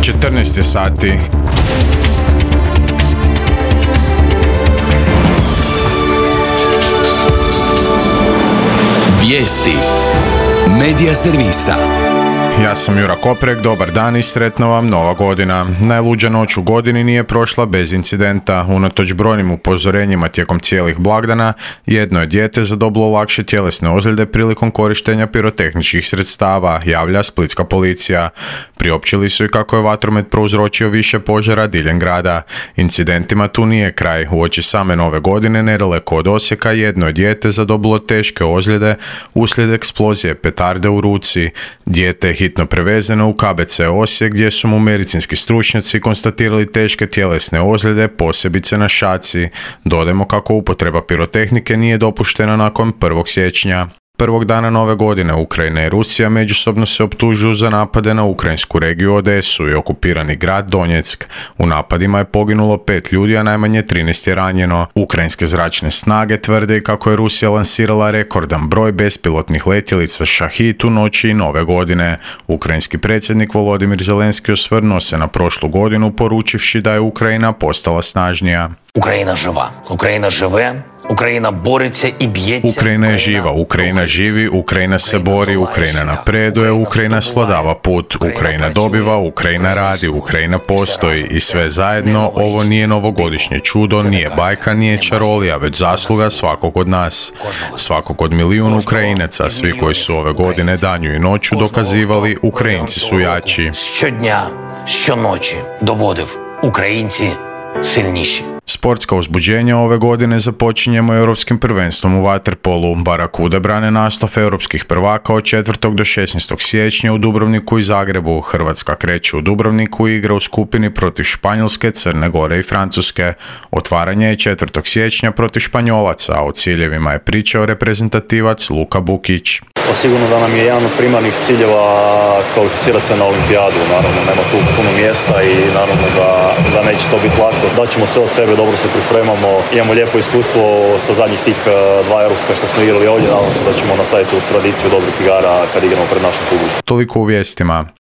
14 sati. Vijesti Medija servisa. Ja sam Jura Koprek, dobar dan i sretna vam nova godina. Najluđa noć u godini nije prošla bez incidenta. Unatoč brojnim upozorenjima tijekom cijelih blagdana, jedno je dijete zadobilo lakše tjelesne ozljede prilikom korištenja pirotehničkih sredstava, javlja splitska policija. Priopćili su i kako je vatromet prouzročio više požara diljem grada. Incidentima tu nije kraj. Uoči same nove godine, nedaleko od Osijeka, jedno je dijete zadobilo teške ozljede uslijed eksplozije petarde u ruci. Dijete je hitno prevezeno u KBC Osijek gdje su mu medicinski stručnjaci konstatirali teške tjelesne ozljede, posebice na šaci. Dodajmo kako upotreba pirotehnike nije dopuštena nakon 1. siječnja. Prvog dana nove godine Ukrajina i Rusija međusobno se optužuju za napade na ukrajinsku regiju Odesu i okupirani grad Donjeck. U napadima je poginulo 5 ljudi, a najmanje 13 je ranjeno. Ukrajinske zračne snage tvrde kako je Rusija lansirala rekordan broj bespilotnih letjelica Šahid u noći i nove godine. Ukrajinski predsjednik Volodimir Zelenski osvrnuo se na prošlu godinu poručivši da je Ukrajina postala snažnija. Ukrajina živa, Ukrajina žive, Ukrajina boriться i bjeться. Ukrajina je živa, Ukrajina živi, Ukrajina se bori, Ukrajina napreduje, Ukrajina svladava put, Ukrajina dobiva, Ukrajina radi, Ukrajina postoji i sve zajedno ovo nije novogodišnje čudo, nije bajka, nije čarolija, već zasluga svakog od nas. Svakog od milijun Ukrajinaca, svi koji su ove godine danju i noću dokazivali, Ukrajinci su jači. Щодня, щоночі доводив, українці сильніші. Sportska uzbuđenja ove godine započinjemo europskim prvenstvom u vaterpolu. Barakude brane naslov europskih prvaka od 4. do 16. siječnja u Dubrovniku i Zagrebu. Hrvatska kreće u Dubrovniku i igra u skupini protiv Španjolske, Crne Gore i Francuske. Otvaranje je 4. siječnja protiv Španjolaca, a o ciljevima je pričao reprezentativac Luka Bukić. Sigurno da nam je jedan od primarnih ciljeva kvalificirati se na olimpijadu. Naravno, nema tu puno mjesta i naravno da neće to biti lako. Daćemo sve od sebe, dobro se pripremamo. Imamo lijepo iskustvo sa zadnjih tih 2 europska što smo igrali ovdje. Nadam se da ćemo nastaviti tu tradiciju dobrih igara kad igramo pred našom klubu. Toliko u vijestima.